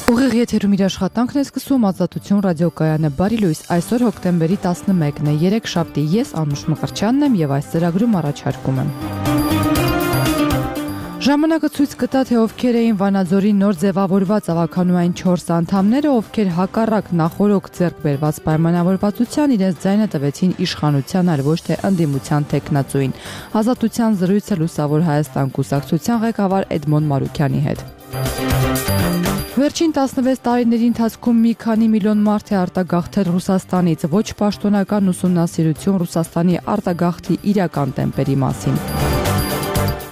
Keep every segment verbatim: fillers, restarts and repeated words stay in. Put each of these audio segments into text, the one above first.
Ուղիղ եթերում իր աշխատանքն է սկսում Ազատություն ռադիոկայանը։ Բարի լույս, այսօր հոկտեմբերի տասնմեկն է, երեքշաբթի, ես Անուշ Մկրտչյանն եմ եւ այս ծրագրում առաջարկում եմ։ Ժամանակը ցույց կտա, թե ովքեր էին Վանաձորի նոր ձևավորված ավականուային չորս անդամները, ովքեր հակառակ նախորոք ձեռք բերված պայմանավորվածության իրենց ձայնը տվեցին իշխանության, այլ ոչ թե ընդդիմության թեկնածուին։ Ազատության զրույցը Լուսավոր Հայաստան կուսակցության ղեկավար Էդմոն Մարուքյանի հետ։ Վերջին տասնվեց տարիների ընթացքում մի քանի միլիոն մարդ է արտագաղթել Ռուսաստանից, ոչ պաշտոնական ուսումնասիրություն Ռուսաստանի արտագաղթի իրական տեմպերի մասին։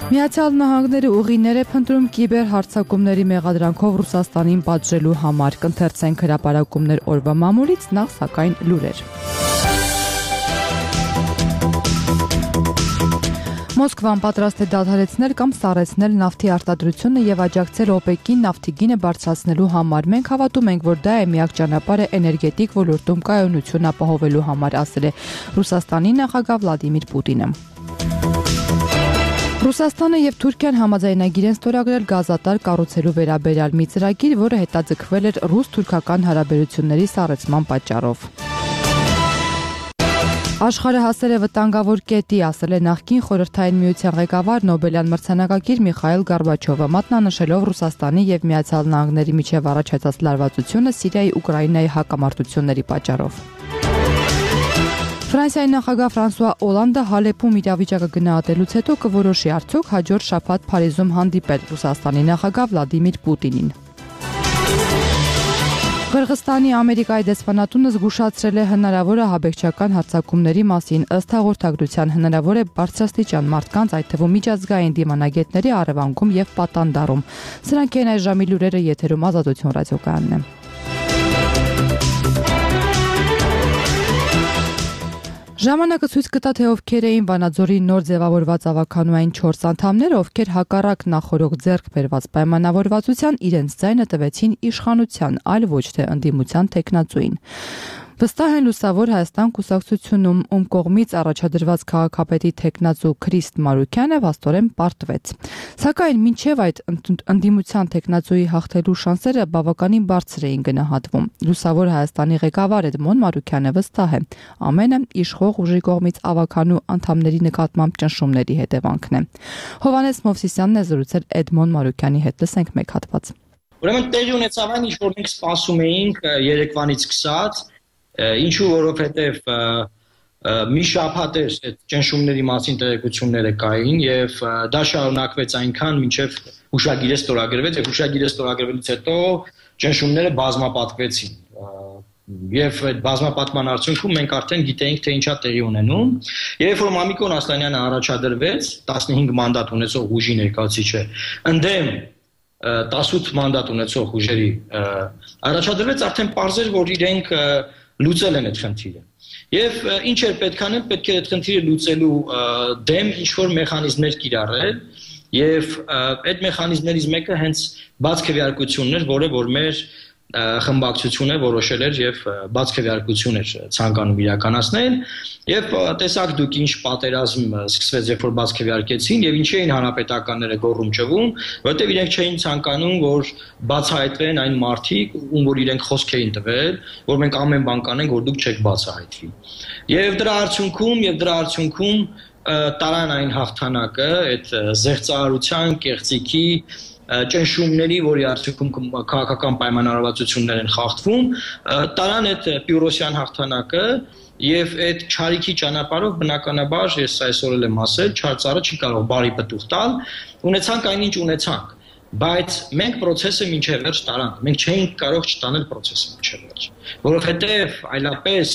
Միացյալ Նահանգները ուղիներ է փնտրում կիբեր հարձակումների մեղադրանքով Ռուսաստանին պատժելու համար, կընթերցենք հրապարակումներ օրվա մամուլից, նախ սակայն լուրեր։ Մոսկվան պատրաստ է դադարեցնել կամ սառեցնել նավթի արտադրությունը եւ աջակցել օպեկին նավթի գինը բարձրացնելու համար։ Մենք հավատում ենք, որ դա է միակ ճանապարհը էներգետիկ ոլորտում կայունություն ապահովելու համար, ասել է Ռուսաստանի նախագահ Վլադիմիր Պուտինը։ Ռուսաստանը եւ Թուրքիան համաձայնագիր են ստորագրել գազատար կառուցելու վերաբերյալ մի ծրագիր, որը հետաձգվել էր ռուս-թուրքական հարաբերությունների սառեցման պատճառով։ Աշխարհը հասել է վտանգավոր կետի, ասել է նախկին Խորհրդային Միության ղեկավար Նոբելյան մրցանակակիր Միխայիլ Գորբաչովը, մատնանշելով Ռուսաստանի եւ Միացյալ Նահանգների միջև առաջացած լարվածությունը Սիրիայի Ուկրաինայի հակամարտությունների պատճառով։ Ֆրանսիայի նախագահ Ֆրանսուଆ Օլանդը Հալեպում իրավիճակը գնահատելուց հետո կորոշի արդյոք հաջորդ շաբաթ Փարիզում հանդիպել Ռուսաստանի նախագահ Վլադիմիր Պուտինին։ Qırğızstani Ամերիկայի դեսպանատունը զգուշացրել է հնարավոր ահաբեկչական հարձակումների մասին, ըստ հաղորդագրության հնարավոր է բարձրաստիճան մարդկանց, այդ թվում միջազգային դիմանագետների առևանգում եւ պատանդարում։ Սրանք են այս ժամի լուրերը, եթերում Ազատություն ռադիոկայանն է։ Ժամանակը ցույց կտա, թե ովքեր էին Վանաձորի նոր ձևավորված ավականուային չորս անդամները, ովքեր հակառակ նախորոք ձեռք բերված պայմանավորվածության իրենց ձայնը տվեցին իշխանության, այլ ոչ թե ընդդիմության թեկնածուին։ Վստահ են Լուսավոր Հայաստան կուսակցությունում, ում կողմից առաջադրված քաղաքապետի թեկնածու Քրիստ Մարուքյանը վաստորեն պարտվեց։ Սակայն մինչև այդ ընդդիմության թեկնածուի հաղթելու շանսերը բավականին բարձր էին գնահատվում։ Լուսավոր Հայաստանի ղեկավար Էդմոն Մարուքյանը վստահ է, ամենը իշխող ուժի կողմից ավականու անդամների նկատմամբ ճնշումների հետևանքն է։ Հովհաննես Մովսիսյանն է զրուցել Էդմոն Մարուքյանի հետ, լսենք մեկ հատված։ Ուրեմն տեղի ունեցավ այն, ինչ որ մենք սպասում էինք երեկվանից սկսած, ինչու որովհետև մի շաբաթ էր այդ ճնշումների մասին տեղեկությունները կային եւ դա շարունակվեց այնքան, մինչեւ հուշագիրը ստորագրվեց եւ հուշագիրը ստորագրվելուց հետո ճնշումները բազմապատկվեցին։ Եվ այդ բազմապատման արդյունքում մենք արդեն գիտեինք, թե ինչա տեղի ունենում։ Երբ որ Մամիկոն Ասլանյանը առաջադրվեց, տասնհինգ մանդատ ունեցող ուժի ներկայացուցիչը, ընդդեմ տասութ մանդատ ունեցող ուժերի առաջադրվեց, արդեն պարզ էր, որ իրենք լուծել են այդ խնդիրը։ Եվ ինչ էր պետք անել, պետք է այդ խնդիրը լուծելու դեմ ինչ-որ մեխանիզմներ կիրառել, եւ այդ մեխանիզմներից մեկը հենց բաց քվեարկությունն էր, որը որ մեր խմբակցությունը որոշել էր եւ բաց քվեարկություն էր ցանկանում իրականացնել եւ տեսակ դուք ինչ պատերազմ սկսվեց, երբ որ բաց քվեարկեցին եւ ինչի էին հանրապետականները գոռում ճվում, որովհետեւ իրենք չէին ցանկանում, որ բացահայտվեն այն մարդիկ, ում որ իրենք խոսք էին տվել, որ մենք ամեն բան կանենք, որ դուք չեք բացահայտվի։ Եվ դրա արդյունքում եւ դրա արդյունքում տարան այն հաղթանակը, այդ զեղծարարության, կեղծիքի ճնշումների, որի արդյունքում քաղաքական պայմանավորվածություններ են խախտվում, տարան այդ Պյուրոսյան հաղթանակը եւ այդ չարիքի ճանապարհով բնականաբար ես այսօր էլ եմ ասել, չար ծառը չի կարող բարի պտուղ տալ, ունեցանք այնինչ ունեցանք, բայց մենք process-ը մինչև վերջ տարանք, մենք չէինք կարող չտանել process-ը մինչև վերջ, որովհետեւ այլապես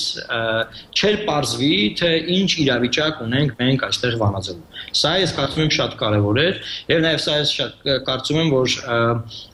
չէր պարզվի, թե ինչ իրավիճակ ունենք մենք այստեղ Վանաձորում։ Սա ես կարծում եմ շատ կարևոր էր եւ նաեւ սա ես շատ կարծում եմ, որ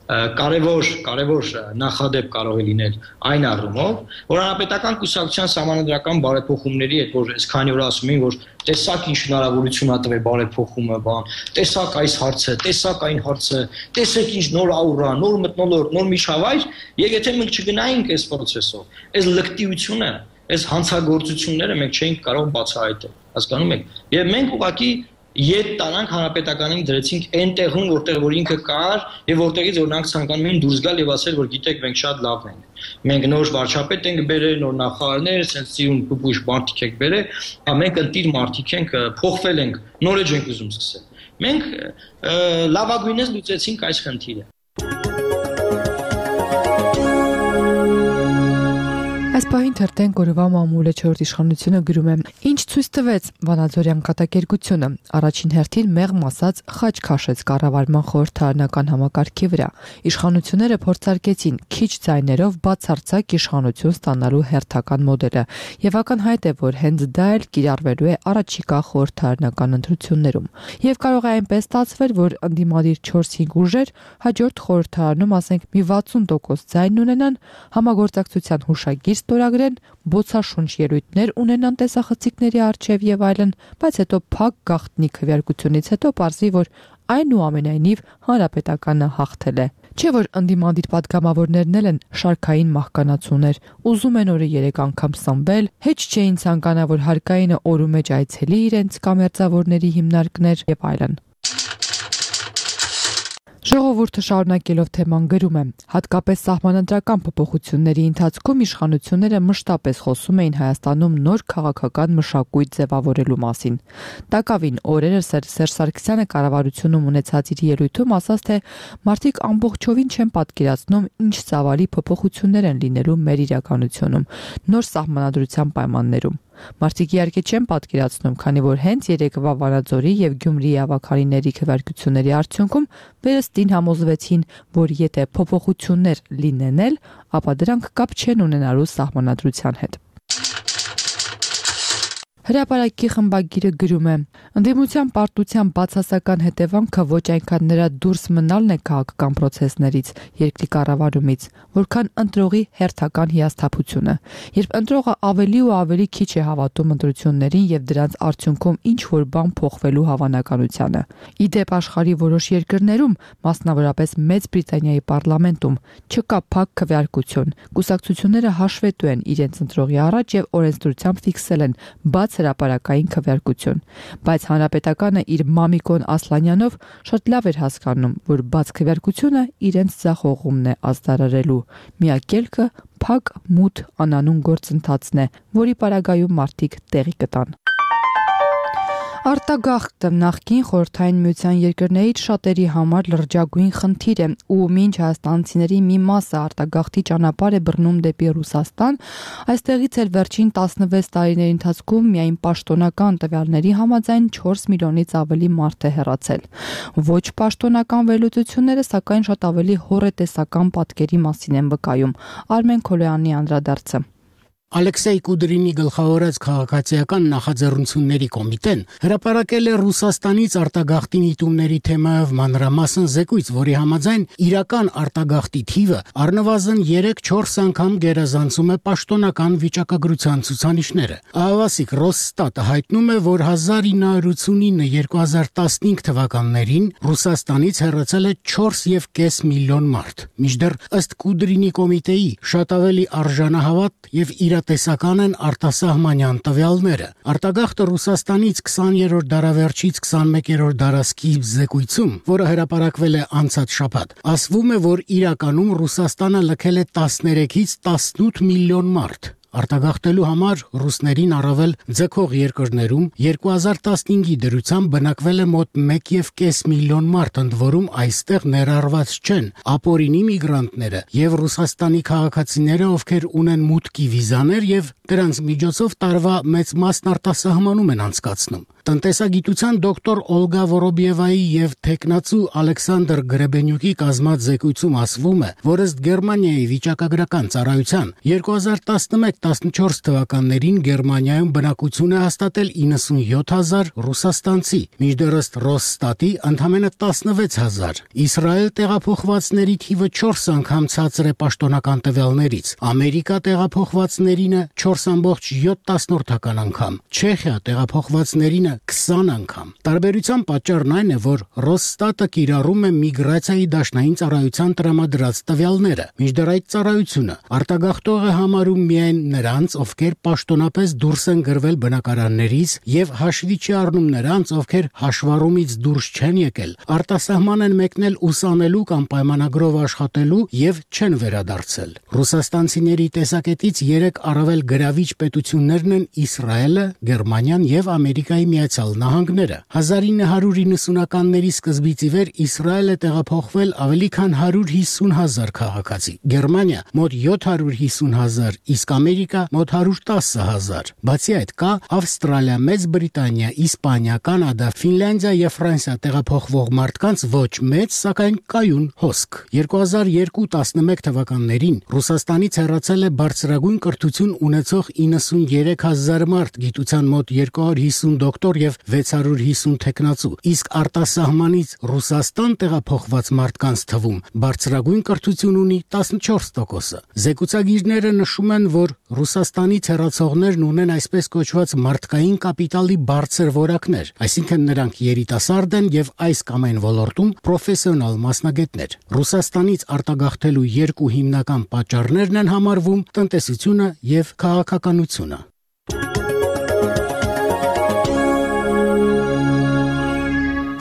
կարևոր կարևոր նախադեպ կարող է լինել այն առումով, որ հանրապետական կուսակցության սահմանադրական բարեփոխումների հետ, որ այսքանի օր ասում էին, որ տեսակ ինչ հնարավորություն ա տվել բարեփոխումը, բան, տեսակ այս հարցը, տեսակ այն հարցը, տեսեք ինչ նոր աուրա, նոր մթնոլորտ, նոր միջավայր, եւ եթե մենք չգնայինք այս process-ով, այս լկտիությունը, այս հանցագործությունները մենք չէինք կարող բացահայտել, հասկանում եք։ Եվ մենք ուղղակի Ետ տանանք հանրապետականին դրեցինք այն տեղում, որտեղ որ ինքը կար եւ որտեղից օրինակ ցանկանում էին դուրս գալ եւ ասել, որ գիտեք, մենք շատ լավ ենք։ Մենք նոր վարչապետ ենք բերել, նոր նախարարներ, sense ծիրուն փուփուշ մարդիկ ենք բերել, հա մենք ընտիր մարդիկ ենք, փոխվել ենք, նորեջ ենք ուզում սկսել։ Մենք լավագույնս լուծեցինք այս խնդիրը։ Այս պահին թերթեն գորովա մամուլը չորրորդ իշխանությունը գրում է. Ինչ ցույց տվեց Վանաձորյան կատակերգությունը, առաջին հերթին մեղմ ասած խաչ քաշեց կառավարման խորհրդարանական համակարգի վրա։ Իշխանությունները փորձարկեցին քիչ ձայներով բացարձակ իշխանություն ստանալու հերթական մոդելը, եւ ակնհայտ է, որ հենց դա էլ կիրառվելու է առաջիկա խորհրդարանական ընտրություններում։ Եվ կարող է այնպես ստացվել, որ ընդդիմադիր չորս-հինգ ուժեր հաջորդ խորհրդարանում, ասենք, մի վաթսուն տոկոս ձայն ունենան, համագործակցության հուշագիր ստորագրեն, բոցաշունչ ելույթներ ունենան տեսախցիկների առջև եւ այլն, բայց հետո փակ գաղտնի քվեարկությունից հետո պարզի, որ այնուամենայնիվ հանրապետականը հաղթել է։ Չէ՞ որ ընդդիմադիր պատգամավորներն էլ են շարքային մահկանացուներ, ուզում են օրը երեք անգամ սնվել, հեչ չէին ցանկանա, որ հարկայինը օրու մեջ այցելի իրենց կամերձավորների հիմնարկներ եւ այլն։ Ժողովուրդը շարունակելով թեման գրում է. հատկապես սահմանադրական փոփոխությունների ընթացքում իշխանությունները մշտապես խոսում էին Հայաստանում նոր քաղաքական մշակույթ ձևավորելու մասին։ Տակավին օրերս Սերժ Սարգսյանը կառավարությունում ունեցած իր ելույթում ասաց, թե մարդիկ ամբողջովին չեն պատկերացնում, ինչ ծավալի փոփոխություններ են լինելու մեր իրականությունում, նոր սահմանադրության պայմաններում։ Մարդիկ իհարկե չեն պատկերացնում, քանի որ հենց երեկվա Վանաձորի եւ Գյումրիի ավագարիների քվեարկությունների արդյունքում վերստին համոզվեցին, որ եթե փոփոխություններ լինեն էլ, ապա դրանք կապ չեն ունենալու սահմանադրության հետ։ Հրապարակի խմբագիրը գրում է. ընդդիմության պարտության բացասական հետևանքը ոչ այնքան նրա դուրս մնալն է քաղաքական process-ներից, երկրի կառավարումից, որքան ընտրողի հերթական հիասթափությունը, երբ ընտրողը ավելի ու ավելի քիչ է հավատում ընտրություններին եւ դրանց արդյունքում ինչ որ բան փոխվելու հավանականությանը։ Ի դեպ աշխարհի որոշ երկրներում, մասնավորապես Մեծ Բրիտանիայի պարլամենտում, չկա փակ քվեարկություն, կուսակցությունները հաշվետու են իրենց ընտրողի առաջ եւ օրենսդրությամբ ֆիքսել են բաց հրապարակային քվեարկություն, բայց հանրապետականը իր Մամիկոն Ասլանյանով շատ լավ էր հասկանում, որ բաց քվեարկությունը իրենց ձախողումն է ազդարարելու։ Միակ ելքը փակ մութ անանուն գործընթացն է, որի պարագայում մարդիկ տեղի կտան։ Արտագաղթը նախկին խորհրդային միության երկրներից շատերի համար լրջագույն խնդիր է ու մինչ հայաստանցիների մի մասը արտագաղթի ճանապարհ է բռնում դեպի Ռուսաստան, այստեղից էլ վերջին տասնվեց տարիների ընթացքում միայն պաշտոնական տվյալների համաձայն չորս միլիոնից ավելի մարդ է հեռացել։ Ոչ պաշտոնական վերլուծությունները սակայն շատ ավելի հոռետեսական պատկերի մասին են վկայում։ Արմեն Քոլոյանի անդրադարձը։ Ալեքսեյ Կուդրինի գլխավորած քաղաքացիական նախաձեռնությունների կոմիտեն հրապարակել է Ռուսաստանից արտագաղթի միտումների թեմայով մանրամասն զեկույց, որի համաձայն իրական արտագաղթի թիվը առնվազն երեք-չորս անգամ գերազանցում է պաշտոնական վիճակագրության ցուցանիշները։ Ահավասիկ Ռոսստատը հայտնում է, որ հազար ինը հարյուր ութսունինը երկու հազար տասնհինգ թվականներին Ռուսաստանից հեռացել է չորս եւ կես միլիոն մարդ։ Մինչդեռ ըստ Կուդրինի կոմիտեի շատ ավելի արժանահավատ եւ իրատեսական են արտասահմանյան տվյալները։ Արտագաղթը Ռուսաստանից քսաներորդ դարավերջից քսանմեկերորդ դարասկիզբ զեկույցում, որը հրապարակվել է անցած շաբաթ, ասվում է, որ իրականում Ռուսաստանը լքել է տասներեքից տասնութ միլիոն մարդ։ Արտագաղթելու համար ռուսներին առավել ձգող երկրներում երկու հազար տասնհինգի դրությամբ բնակվել է մոտ մեկ եւ կես միլիոն մարդ, ընդ որում այստեղ ներառված չեն ապօրինի միգրանտները եւ Ռուսաստանի քաղաքացիները, ովքեր ունեն մուտքի վիզաներ եւ դրանց միջոցով տարվա մեծ մասն արտասահմանում են անցկացնում։ Տնտեսագիտության դոկտոր Օլգա Վորոբիևայի եւ տեխնացու Ալեքսանդր Գրեբենյուկի կազմած զեկույցում ասվում է, որ ըստ Գերմանիայի վիճակագրական ծառայության երկու հազար տասնմեկ տասնչորս թվականներին Գերմանիայում բնակություն է հաստատել իննսունյոթ հազար ռուսաստանցի, մինչդեռ ըստ Ռոսստատի ընդամենը տասնվեց հազար։ Իսրայել տեղափոխվածների թիվը չորս անգամ ցածր է պաշտոնական տվյալներից, Ամերիկա տեղափոխվածներինը չորս ամբողջ յոթ անգամ, Չեխիա տեղափոխվածներինը քսան անգամ։ Տարբերության պատճառն այն է, որ Ռոսստատը կիրառում է միգրացիայի դաշնային ծառայության տրամադրած տվյալները, մինչդեռ այդ ծառայությունը արտագաղթող է համարում միայն նրանց, ովքեր պաշտոնապես դուրս են գրվել բնակարաններից եւ հաշվի չի առնում նրանց, ովքեր հաշվառումից դուրս չեն եկել, արտասահման են մեկնել ուսանելու կամ պայմանագրով աշխատելու եւ չեն վերադարձել։ Ռուսաստանցիների տեսակետից երեք առավել գրավիչ պետություններն են Իսրայելը, Գերմանիան եւ Ամերիկայի Միացյալ Նահանգները։ հազար ինը հարյուր իննսունականների սկզբից ի վեր Իսրայելը տեղափոխվել ավելի քան հարյուր հիսուն հազար քաղաքացի, Գերմանիա մոտ յոթ հարյուր հիսուն հազար, իսկ Ամերիկա մոտ հարյուր տասը հազար։ Բացի այդ կա Ավստրալիա, Մեծ Բրիտանիա, Իսպանիա, Կանադա, Ֆինլանդիա եւ Ֆրանսիա տեղափոխվող մարդկանց ոչ մեծ, սակայն կայուն հոսք։ երկու հազար երկու տասնմեկ թվականներին Ռուսաստանից հեռացել է բարձրագույն կրթություն ունեցող իննսունյերեք հազար մարդ, գիտության մոտ երկու հարյուր հիսուն դոկտոր եւ վեց հարյուր հիսուն թեկնածու, իսկ արտասահմանից Ռուսաստան տեղափոխված մարդկանց թվում բարձրագույն կրթություն ունի տասնչորս տոկոսը։ Զեկուցագիրները նշում են, որ Ռուսաստանից հեռացողներն ունեն այսպես կոչված մարդկային կապիտալի բարձր որակներ, այսինքն նրանք երիտասարդ են եւ այս կամ այն ոլորտում պրոֆեսիոնալ մասնագետներ։ Ռուսաստանից արտագաղթելու երկու հիմնական պատճառներն են համարվում տնտեսությունը եւ քաղաքականությունը։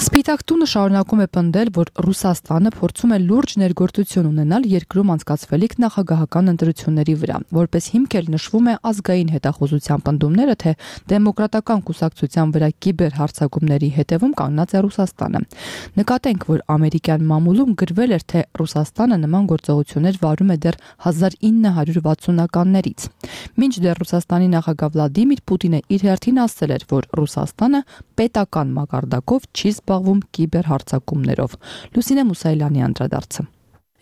Սպիտակ տունը շարունակում է պնդել, որ Ռուսաստանը փորձում է լուրջ ներգործություն ունենալ երկրում անցկացվելիք նախագահական ընտրությունների վրա, որպես հիմք էլ նշվում է ազգային հետախուզության պնդումները, թե դեմոկրատական կուսակցության վրա կիբերհարձակումների հետևում կանգնած է Ռուսաստանը։ Նկատենք, որ ամերիկյան մամուլում գրվել էր, թե Ռուսաստանը նման գործողություններ վարում է դեռ հազար ինը հարյուր վաթսունականներից։ Մինչդեռ Ռուսաստանի նախագահ Վլադիմիր Պուտինը իր հերթին ասել էր, որ Ռուսաստանը պետական մակարդակով չի զբաղվում կիբերհարձակումներով։ Լուսինե Մուսայելյանի անդրադարձը։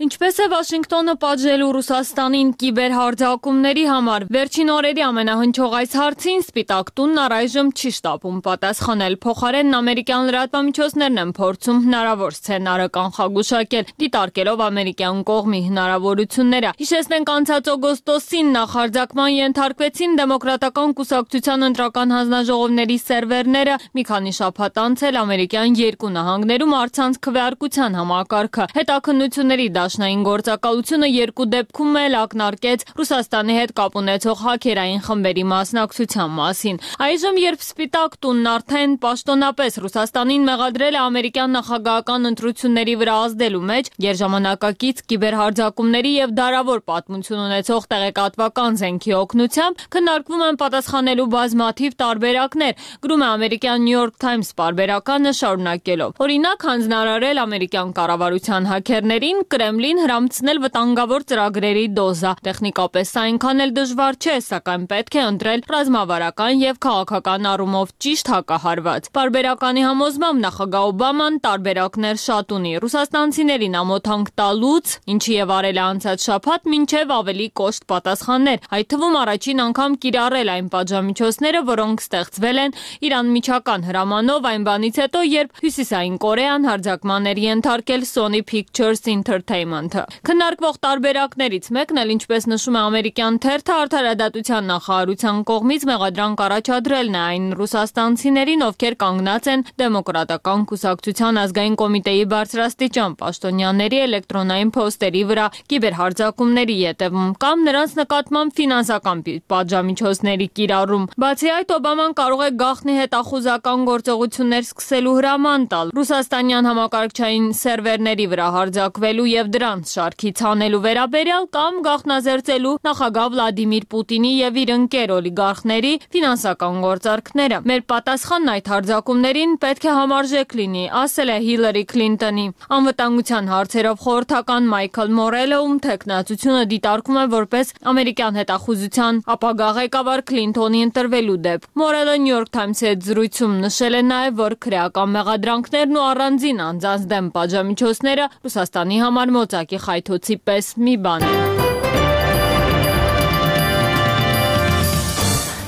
Ինչպես է Վաշինգտոնը պատժելու Ռուսաստանին կիբերհարձակումների համար, վերջին օրերի ամենահնչող այս հարցին Սպիտակ տունն առայժմ չի շտապում պատասխանել, փոխարենն ամերիկյան լրատվամիջոցներն են փորձում հնարավոր սցենարը կանխագուշակել, դիտարկելով ամերիկյան կողմի հնարավորությունները։ Հիշեցնենք, անցած օգոստոսին նախարձակման ենթարկվեցին դեմոկրատական կուսակցության ընտրական հանձնաժողովների սերվերները, մի քանի շաբաթ անց էլ ամերիկյան երկու նահանգներում առցանց քվեարկության համակարգը։ Հետաքննությունների Դաշնային գործակալությունը երկու դեպքում էլ ակնարկեց Ռուսաստանի հետ կապ ունեցող հաքերային խմբերի մասնակցության մասին։ Այժմ, երբ Սպիտակ տունն արդեն պաշտոնապես Ռուսաստանին մեղադրել է ամերիկյան նախագահական ընտրությունների վրա ազդելու մեջ, երժամանակակից կիբերհարձակումների եւ դարավոր պատմություն ունեցող տեղեկատվական զենքի օգնությամբ քննարկվում են պատասխանելու բազմաթիվ տարբերակներ, գրում է ամերիկյան New York Times պարբերականը շարունակելով։ Օրինակ, հանձնարարել ամերիկյան կառավարության հաքերներին Կրեմլին հրամցնել վտանգավոր ծրագրերի դոզա։ Տեխնիկապես այնքան էլ դժվար չէ, սակայն պետք է ընտրել ռազմավարական եւ քաղաքական առումով ճիշտ հակահարված։ Պարբերականի համոզմամբ նախագահ Օբաման տարբերակներ շատ ունի։ Ռուսաստանցիներին ամոթանք տալուց, ինչի եւ արել է անցած շաբաթ, մինչեւ ավելի կոշտ պատասխաններ, այդ թվում առաջին անգամ կիրառել այն պատժամիջոցները, որոնք ստեղծվել են իրանմիջական հրամանով այն բանից հետո, երբ Հյուսիսային Կորեան հարձակման էր ենթարկել Sony Pictures Entertainment-ը։ Քննարկվող տարբերակներից մեկն էլ, ինչպես նշում է ամերիկյան թերթը, արդարադատության նախարարության կողմից մեղադրանք առաջադրելն է այն ռուսաստանցիներին, ովքեր կանգնած են դեմոկրատական կուսակցության ազգային կոմիտեի բարձրաստիճան պաշտոնյաների էլեկտրոնային փոստերի վրա կիբերհարձակումների ետևում կամ նրանց նկատմամբ ֆինանսական պատժամիջոցների կիրառում։ Բացի այդ, Օբաման կարող է գաղտնի հետախուզական գործողություններ սկսելու հրաման տալ ռուսաստանյան համակարգչային սերվերների վրա հարձակվելու եւ դրանց շարքից հանելու վերաբերյալ կամ գաղտնազերծելու նախագահ Վլադիմիր Պուտինի եւ իր ընկեր օլիգարխների ֆինանսական գործարքները։ Մեր պատասխանն այդ հարձակումներին պետք է համարժեք լինի, ասել է Հիլարի Քլինտոնի։ Անվտանգության հարցերով խորհրդական Մայքլ Մորելը, ում թեկնածությունը դիտարկում է որպես ամերիկյան հետախուզության ապագա ղեկավար Քլինտոնի ընտրվելու դեպ։ Մորելը New York Times-ի հետ զրույցում նշել է նաեւ, որ քրեական մեղադրանքներն ու առանձին անձանց դեմ պատժամիջոցները Ռուսաստանի համար մոծակի խայթոցի պես մի բան է։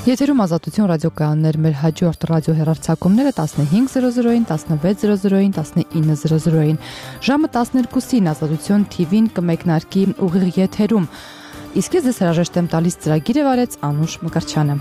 Եթերում Ազատություն ռադիոկայաններ, մեր հաջորդ ռադիոհեռարձակումները տասնհինգ զրո զրոին, տասնվեց զրո զրոին, տասնինը զրո զրոին, ժամը տասներկուսին Ազատություն Թի Վին կմեկնարկի ուղիղ եթերում։ Իսկ ես ձեզ հրաժեշտ եմ տալիս, ծրագիրը վարեց Անուշ Մկրտչյանը։